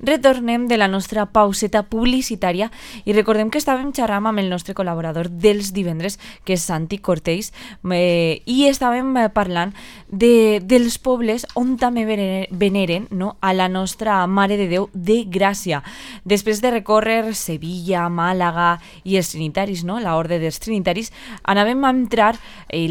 Retornem de la nostra pauseta publicitària i recordem que estàvem xerrant amb el nostre col·laborador dels divendres, que és Santi Cortells, i estàvem parlant dels pobles on també veneren, no, a la nostra Mare de Déu de Gràcia. Després de recórrer Sevilla, Màlaga i els trinitaris, no, l'orde dels trinitaris, anàvem a entrar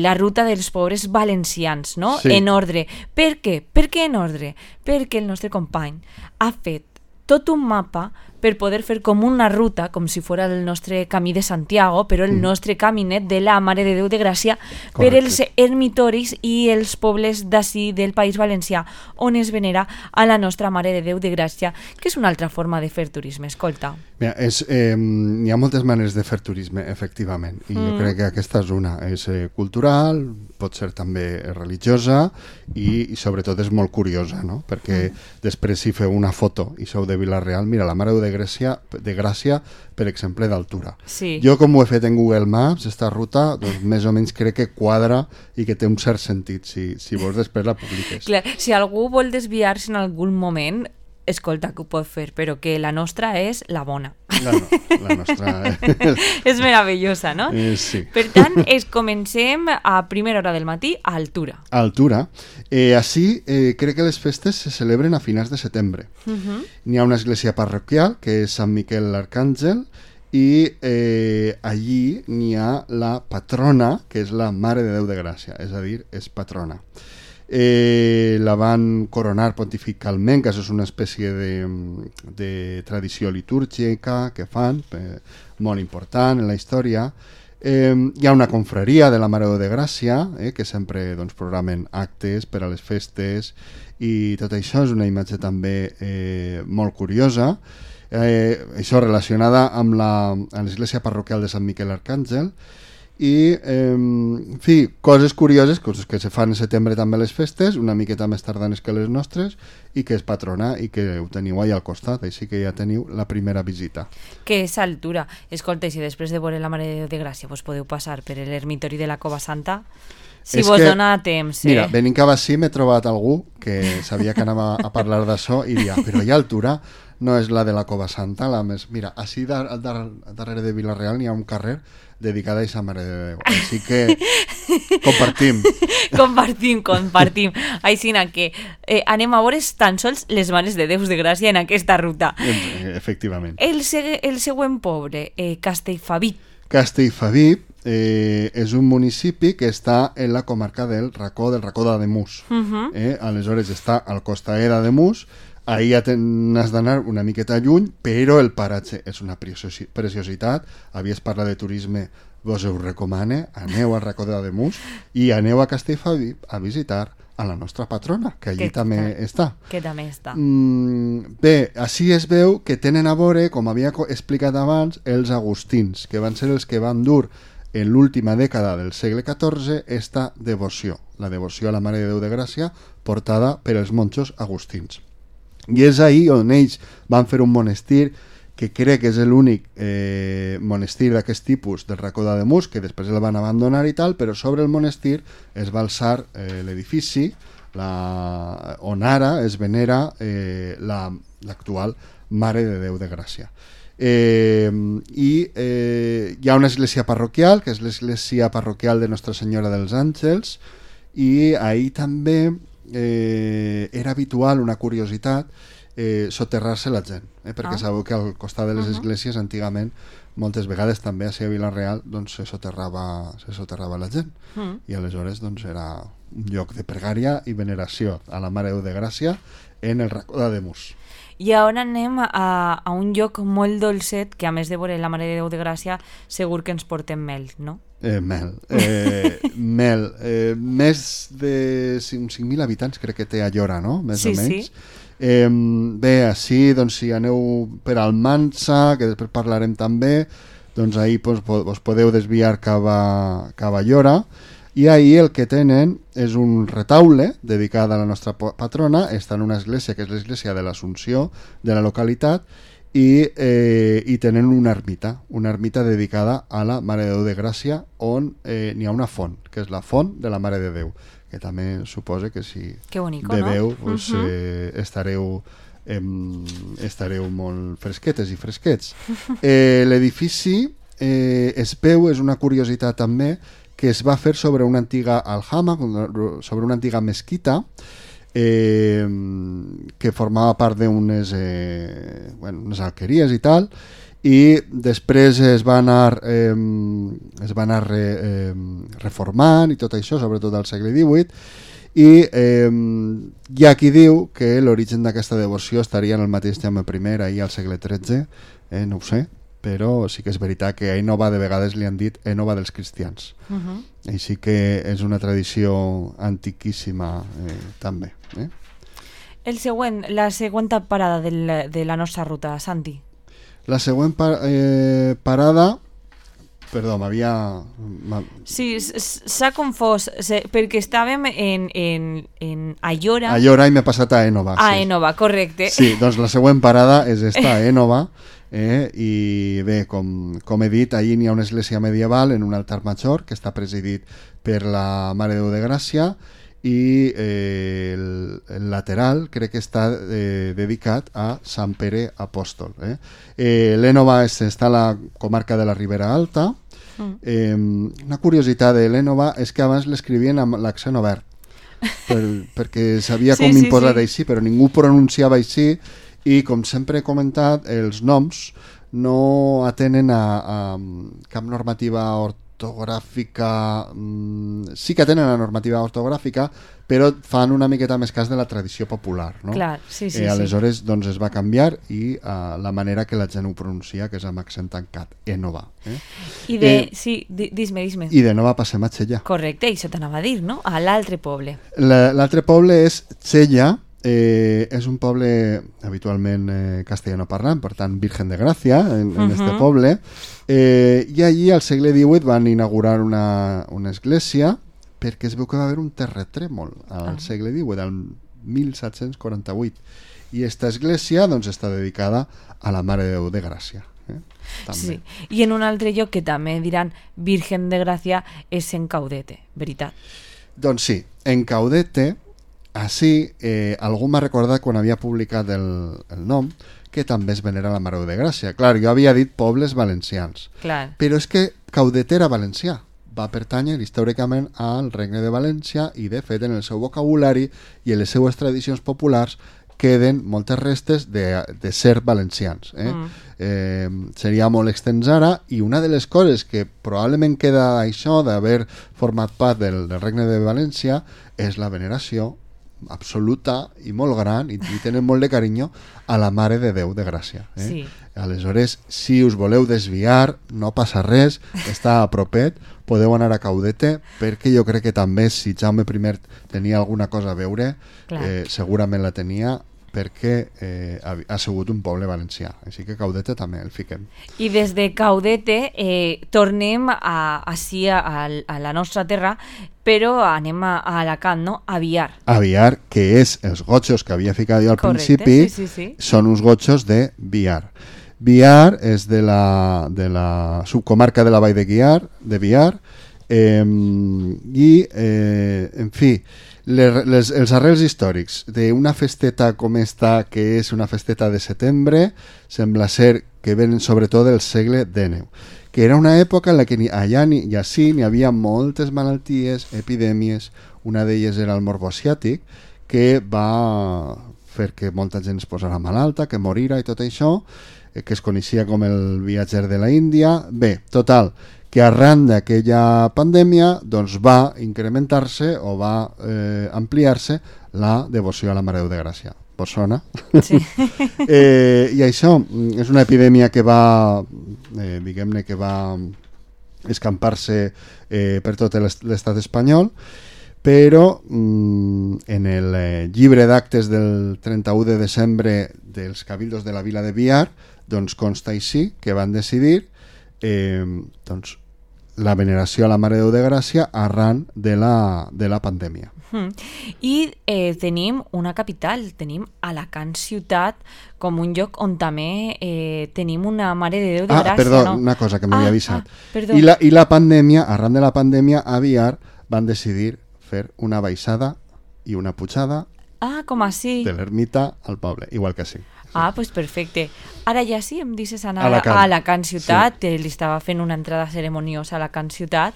la ruta dels pobres valencians, no? Sí. En ordre. Per què? Per què en ordre? Perquè el nostre company ha fet tot un mapa per poder fer com una ruta, com si fos el nostre camí de Santiago, però el nostre caminet de la Mare de Déu de Gràcia. Correcte. Per els ermitoris i els pobles d'ací del País Valencià on es venera a la nostra Mare de Déu de Gràcia, que és una altra forma de fer turisme. Escolta. Mira, hi ha moltes maneres de fer turisme, efectivament, i jo crec que aquesta és una. És cultural, pot ser també religiosa i sobretot és molt curiosa, no? Perquè després si feu una foto i sou de Vila-real, mira, la Mare de Déu de Gràcia, per exemple, d'altura. Sí. Jo, com ho he fet en Google Maps, esta ruta, doncs més o menys crec que quadra i que té un cert sentit, si vols després la publiques. Clar, si algú vol desviar-se en algun moment, escolta, que ho pot fer, però que la nostra és la bona. La nostra... És meravellosa, no? Sí. Per tant, comencem a primera hora del matí a altura. A altura. Així, crec que les festes se celebren a finals de setembre. N'hi ha una església parroquial, que és Sant Miquel l'Arcàngel, i allí n'hi ha la patrona, que és la Mare de Déu de Gràcia, és a dir, és patrona. La van coronar pontificalment, que això és una espècie de tradició litúrgica que fan, molt important en la història. Hi ha una confraria de la Mare de Déu de Gràcia, que sempre doncs, programen actes per a les festes, i tot això és una imatge també molt curiosa, això relacionada amb l'església parroquial de Sant Miquel l'Arcàngel. I, en fi, coses curioses, coses que se fan en setembre també a les festes, una miqueta més tardanes que les nostres, i que és patrona i que ho teniu allà al costat, així que ja teniu la primera visita. Que és altura. Escolta, si després de veure la Mare de Déu de Gràcia vos podeu passar per l'ermitori de la Cova Santa, si vos dona temps. Mira, venint cap així m'he trobat algú que sabia que anava a parlar d'això i dia, però hi ha altura, no és la de la Cova Santa, la més... Mira, així darrere de Vila-real n'hi ha un carrer dedicat a aquesta Mare de Déu. Així que compartim. Compartim. Així que anem a veure tan sols les Mares de Déus de Gràcia en aquesta ruta. Efectivament. El següent poble, Castellfabib. Castellfabib és un municipi que està en la comarca del racó d'Ademús. Aleshores està al costat d'Ademús. Ahir ja n'has d'anar una miqueta lluny, però el paratge és una preciositat. Havies parlat de turisme, vos ho recomane, aneu al racó d'Ademús i aneu a Castellfabib a visitar a la nostra patrona, que allí també està. Que també està. Bé, així es veu que tenen a veure, com havia explicat abans, els agustins, que van ser els que van dur en l'última dècada del segle XIV esta devoció, la devoció a la Mare de Déu de Gràcia portada per els monjos agustins. I és ahí on ells van fer un monestir que crec que és l'únic monestir d'aquest tipus del racó d'Ademús, que després el van abandonar i tal, però sobre el monestir es va alçar l'edifici on ara es venera l'actual Mare de Déu de Gràcia. I hi ha una església parroquial, que és l'església parroquial de Nostra Senyora dels Àngels, i ahir també era habitual, una curiositat, soterrar-se la gent, perquè sabeu que al costat de les esglésies antigament moltes vegades també a Vila-real doncs, se soterrava la gent i aleshores doncs, era un lloc de pregària i veneració a la Mare de Déu de Gràcia en el racó d'Ademús. I ara anem a un lloc molt dolcet, que a més de veure la Mare de Déu de Gràcia segur que ens portem mel, no? Mel. Més de 5.000 habitants crec que té Allora, no? Més o menys. Sí. Bé, així, doncs, si aneu per Almansa, que després parlarem també, doncs ahir vos podeu desviar cap a Allora, i ahir el que tenen és un retaule dedicat a la nostra patrona. Està en una església que és l'església de l'Assumpció de la localitat, i tenen una ermita dedicada a la Mare de Déu de Gràcia, on n'hi ha una font, que és la font de la Mare de Déu, que també suposa que si bonico, beveu no? estareu estareu molt fresquetes i fresquets. L'edifici es veu, és una curiositat també, que es va fer sobre una antiga aljama, sobre una antiga mesquita, que formava part d'unes unes alqueries i tal, i després es va anar reformant i tot això, sobretot al segle XVIII, i hi ha qui diu que l'origen d'aquesta devoció estaria en el mateix Jaume I ahir al segle XIII, no ho sé, però sí que és veritat que a Ènova de vegades li han dit Ènova dels cristians. Així que és una tradició antiquíssima també. La següent parada de la nostra ruta, Santi. La següent parada... Perdó, m'havia... Sí, s'ha confós, perquè estàvem en Ayora. Ayora i m'he passat a Ènova. A Ènova, correcte. Sí, doncs la següent parada és esta, Ènova, i bé, com he dit, allí n'hi ha una església medieval en un altar major que està presidit per la Mare de Déu de Gràcia, i el lateral crec que està dedicat a Sant Pere Apòstol. L'Ènova està a la comarca de la Ribera Alta. Una curiositat de l'Ènova és que abans l'escrivien amb l'accent obert, perquè s'havia com imposat així, però ningú pronunciava així, i com sempre he comentat, els noms no atenen a cap normativa ortogràfica. Sí que tenen la normativa ortogràfica, però fan una miqueta més cas de la tradició popular, no? Clar, sí. Aleshores doncs es va canviar, i la manera que la gent ho pronuncia, que és amb accent tancat, Ènova. Dis-me. I de Nova passem a Xella. Correcte, això t'anava a dir, no? A l'altre poble. L'altre poble és Xella. És un poble habitualment castellano parlant, per tant Virgen de Gràcia en este poble, i allí al segle XVIII van inaugurar una església, perquè es veu que va haver un terratrèmol al segle XVIII, al 1748, i esta església doncs està dedicada a la Mare de Déu de Gràcia. Sí. I en un altre lloc que també diran Virgen de Gràcia és en Caudete, veritat? Doncs sí, en Caudete. Així, algú m'ha recordat quan havia publicat el nom que també es venera la Mare de Gràcia. Clar, jo havia dit pobles valencians. Clar. Però és que Caudet era valencià. Va pertànyer històricament al Regne de València, i de fet en el seu vocabulari i en les seues tradicions populars queden moltes restes de ser valencians. Seria molt extens ara, i una de les coses que probablement queda això d'haver format part del Regne de València és la veneració absoluta i molt gran, i tenen molt de carinyo a la Mare de Déu de Gràcia. Sí. Aleshores, si us voleu desviar, no passa res, està a propet, podeu anar a Caudete, perquè jo crec que també si Jaume I tenia alguna cosa a veure, segurament la tenia, perquè ha sigut un poble valencià, així que Caudete també el fiquem. I des de Caudete tornem així a la nostra terra, però anem a Alacant, no? A Biar. A Biar, que és els gotxos que havia ficat jo al principi, són uns gotxos de Biar. Biar és de la subcomarca de la Vall de Biar, i, en fi, els arrels històrics d'una festeta com esta, que és una festeta de setembre, sembla ser que venen sobretot del segle XIX, que era una època en la que allà i ací n'hi havia moltes malalties, epidèmies. Una d'elles era el morbo asiàtic, que va fer que molta gent es posara malalta, que morira i tot això, que es coneixia com el viatger de la Índia. Bé, total, que arran d'aquella pandèmia doncs va incrementar-se o va ampliar-se la devoció a la Mare de Déu de Gràcia. Vos sona? Sí. I això és una epidèmia que va, diguem-ne, que va escampar-se per tot l'estat espanyol, però en el llibre d'actes del 31 de desembre dels cabildos de la vila de Biar doncs consta així que van decidir doncs la veneració a la Mare de Déu de Gràcia arran de la pandèmia. I tenim una capital, tenim Alacant ciutat com un lloc on també tenim una Mare de Déu de Gràcia. Perdó, no? Una cosa que m'havia avisat. I la pandèmia, arran de la pandèmia, a Biar van decidir fer una baixada i una pujada Ah, com així? De l'ermita al poble, igual que sí. Ah, pues perfecte. Ara ja sí, em dices anar Alacant. a Alacant ciutat, sí. Li estava fent una entrada ceremoniosa a Alacant ciutat,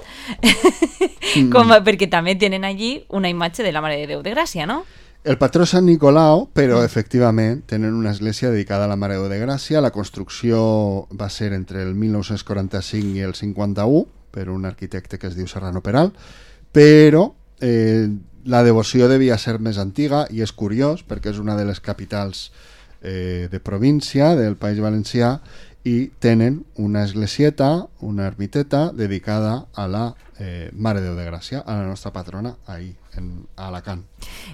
perquè també tenen allí una imatge de la Mare de Déu de Gràcia, no? El patró és Sant Nicolau, però efectivament tenen una església dedicada a la Mare de Déu de Gràcia. La construcció va ser entre el 1945 i el 51 per un arquitecte que es diu Serrano Peral, però la devoció devia ser més antiga i és curiós perquè és una de les capitals de província del País Valencià i tenen una esglesieta, una ermiteta dedicada a la Mare de Déu de Gràcia, a la nostra patrona, ahí, a Alacant.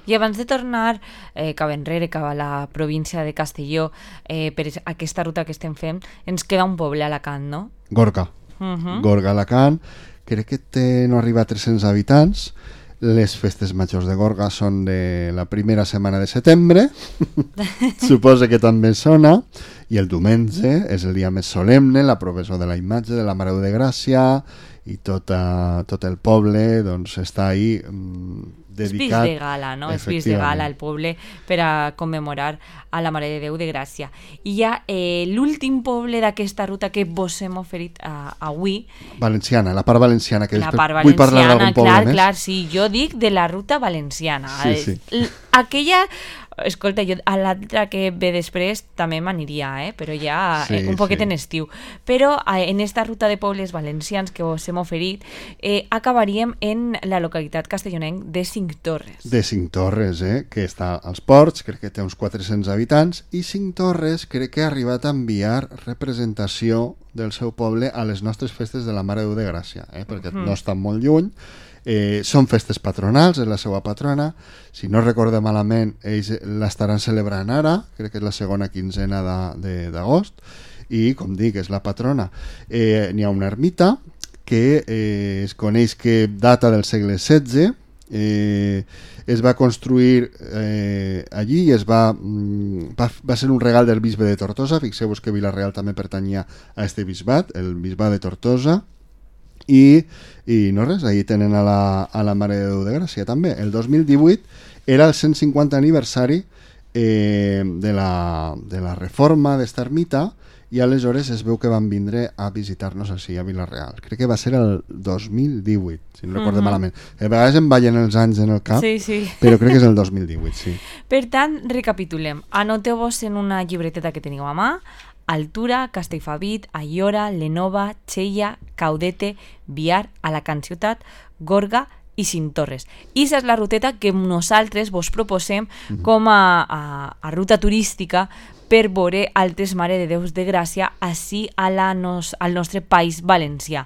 I abans de tornar cap enrere, cap a la província de Castelló, per aquesta ruta que estem fent, ens queda un poble a Alacant, no? Gorga. Gorga, Alacant. Crec que no arriba a 300 habitants. Les festes majors de Gorga són de la primera setmana de setembre, suposa que també sona, i el diumenge és el dia més solemne, la professó de la imatge de la Mare de Gràcia, i tot el poble doncs, està ahí dedicat. És de gala, no? És de gala el poble per a commemorar a la Mare de Déu de Gràcia. I ja l'últim poble d'aquesta ruta que vos hem oferit avui... Valenciana, la part valenciana, que la part vull parlar d'algun poble més. Clar, sí, jo dic de la ruta valenciana. Sí. Aquella... Escolta, jo a l'altra que ve després també m'aniria, però ja un poquet en estiu. Però en esta ruta de pobles valencians que us hem oferit acabaríem en la localitat castellonenc de Cinctorres. De Cinctorres, que està als ports, crec que té uns 400 habitants, i Cinctorres crec que ha arribat a enviar representació del seu poble a les nostres festes de la Mare de Déu de Gràcia, perquè no estan molt lluny. Són festes patronals, és la seva patrona. Si no recordo malament, ells l'estaran celebrant ara, crec que és la segona quinzena d'agost, i com dic, és la patrona. N'hi ha una ermita que es coneix que data del segle XVI, es va construir allí i va ser un regal del bisbe de Tortosa. Fixeu-vos que Vila-real també pertanyia a este bisbat, el bisbat de Tortosa. I no res, ahí tenen a la Mare de Déu de Gràcia també. El 2018 era el 150 aniversari de la reforma d'esta ermita, i aleshores es veu que van vindre a visitar-nos així a Vila-real. Crec que va ser el 2018, si no recordo malament. A vegades em ballen els anys en el cap, però crec que és el 2018, sí. Per tant, recapitulem. Anoteu-vos en una llibreteta que teniu a mà: Altura, Castellfabit, Aiora, Lenova, Xella, Caudete, Biar, Alacant ciutat, Gorga i Cinctorres. I és la ruteta que nosaltres vos proposem com a ruta turística per veure altres Mare de Déus de Gràcia així al nostre País Valencià.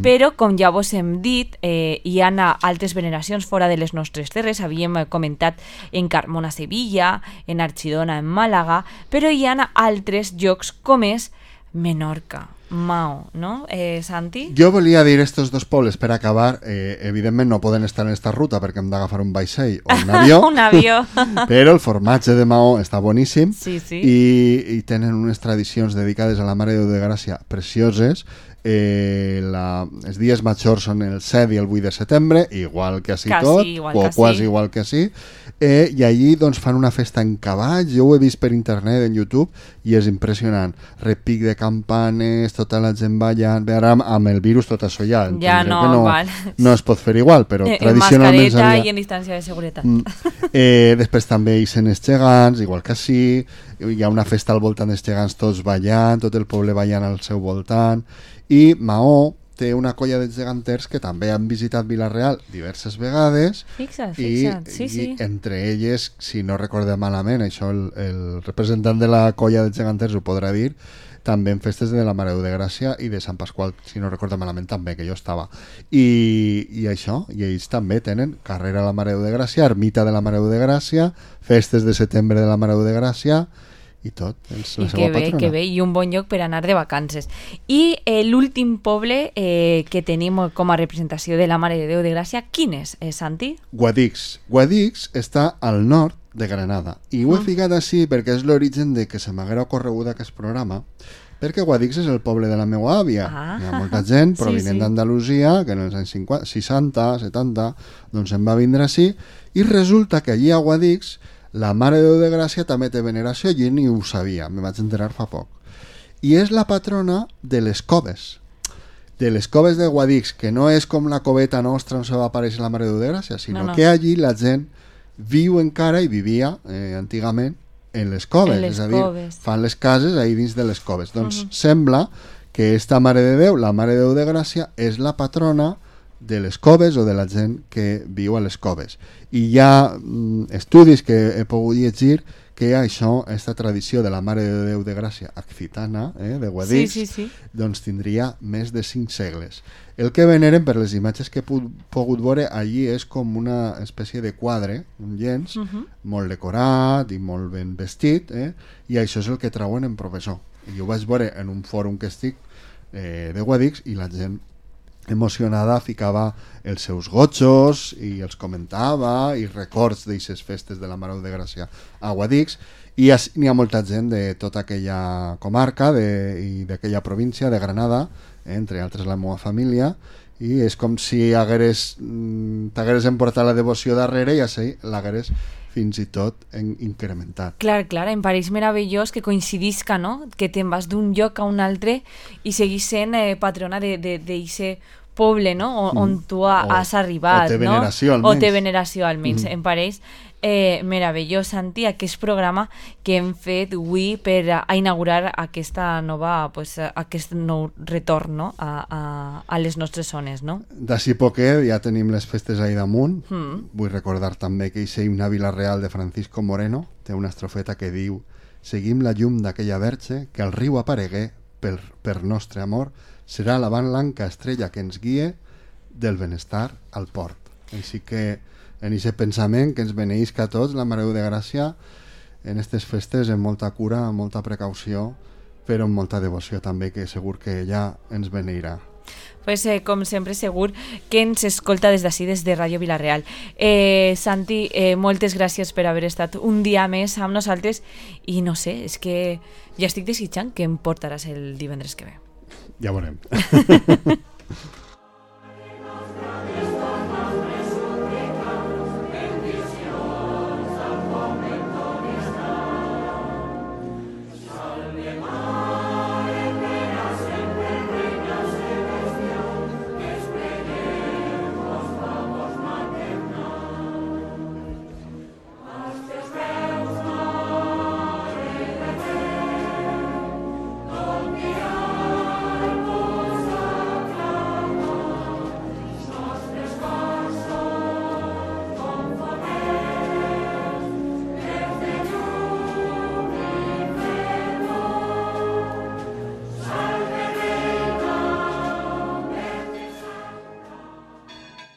Però, com ja vos hem dit, hi ha altres veneracions fora de les nostres terres. Havíem comentat en Carmona, Sevilla, en Archidona, en Màlaga, però hi ha altres llocs com és Menorca, Maó, no, Santi? Jo volia dir estos dos pobles per acabar. Evidentment no poden estar en esta ruta perquè hem d'agafar un vaixell o un avió, un avió. Però el formatge de Maó està boníssim, sí. I tenen unes tradicions dedicades a la Mare de Déu de Gràcia precioses. Els dies majors són el 7 i el 8 de setembre, igual que així tot, o quasi igual que així, i allí doncs, fan una festa en cavall. Jo ho he vist per internet, en YouTube, i és impressionant. Repic de campanes, tota la gent ballant. Bé, ara amb el virus tot això ja no es pot fer igual, però tradicionalment en mascareta i en distància de seguretat. Després també hi són els gegants, igual que així. Hi ha una festa al voltant dels gegants, tots ballant, tot el poble ballant al seu voltant. I Maó té una colla de geganters que també han visitat Vila-real diverses vegades. Fixa't, sí. I entre elles, si no recordem malament, això el representant de la colla de geganters ho podrà dir, també en festes de la Mare de Gràcia i de Sant Pasqual, si no recordo malament també, que jo estava. I això, i ells també tenen carrera a la Mare de Gràcia, ermita de la Mare de Gràcia, festes de setembre de la Mare de Gràcia, i tot, és la seva patrona. Que bé, i un bon lloc per anar de vacances. I l'últim poble que tenim com a representació de la Mare de Déu de Gràcia, quin és, Santi? Guadix. Guadix està al nord de Granada, i ho he ficat així perquè és l'origen de que se m'haguera ocorregut aquest programa, perquè Guadix és el poble de la meva àvia. Hi ha molta gent provinent d'Andalusia que en els anys 50, 60, 70 doncs se'n va vindre així, i resulta que allí a Guadix La Mare de Déu de Gràcia també té veneració, jo ni ho sabia, me vaig enterar fa poc. I és la patrona de les coves. De les coves de Guadix, que no és com la coveta nostra on se va aparèixer la Mare de Déu de Gràcia, sinó que allí la gent viu encara i vivia antigament en les coves, és a dir, fan les cases ahí dins de les coves. Doncs sembla que esta Mare de Déu, la Mare de Déu de Gràcia, és la patrona de les coves o de la gent que viu a les coves. I hi ha estudis que he pogut llegir que això, aquesta tradició de la Mare de Déu de Gràcia occitana, de Guadix, doncs tindria més de 5 segles. El que veneren, per les imatges que he pogut veure, allí és com una espècie de quadre, un llenç, molt decorat i molt ben vestit, i això és el que trauen en professor. I ho vaig veure en un fòrum que estic de Guadix i la gent emocionada ficava els seus gotxos i els comentava i records d'aixes festes de la Mare de Gràcia a Guadix, i n'hi ha molta gent de tota aquella comarca i d'aquella província de Granada, entre altres la meva família, i és com si t'hagueres emportat la devoció darrere i així l'hagueres fins i tot incrementat. Clar, em pareix meravellós que coincidisca, no? Que te'n vas d'un lloc a un altre i seguís sent patrona d'aquest poble, no? On tu has arribat, o té veneració, no? O té veneració, almenys. Em pareix meravellós, Santi, aquest programa que hem fet avui per a inaugurar aquesta nova, aquest nou retorn, no? a les nostres zones, no? D'ací poquet ja tenim les festes ahí damunt. Vull recordar també que hi una Vila Real de Francisco Moreno té una estrofeta que diu: seguim la llum d'aquella verge que al riu aparegué per nostre amor, serà la blanca estrella que ens guie del benestar al port. Així que en aquest pensament que ens beneïsca a tots la Mare de Déu de Gràcia en aquestes festes, amb molta cura, amb molta precaució, però amb molta devoció també, que segur que ella ens beneirà. Pues, com sempre, segur que ens escolta des d'ací, des de Ràdio Vila-real. Santi, moltes gràcies per haver estat un dia més amb nosaltres i no sé, és que ja estic desitjant que em portaràs el divendres que ve. Ja veurem.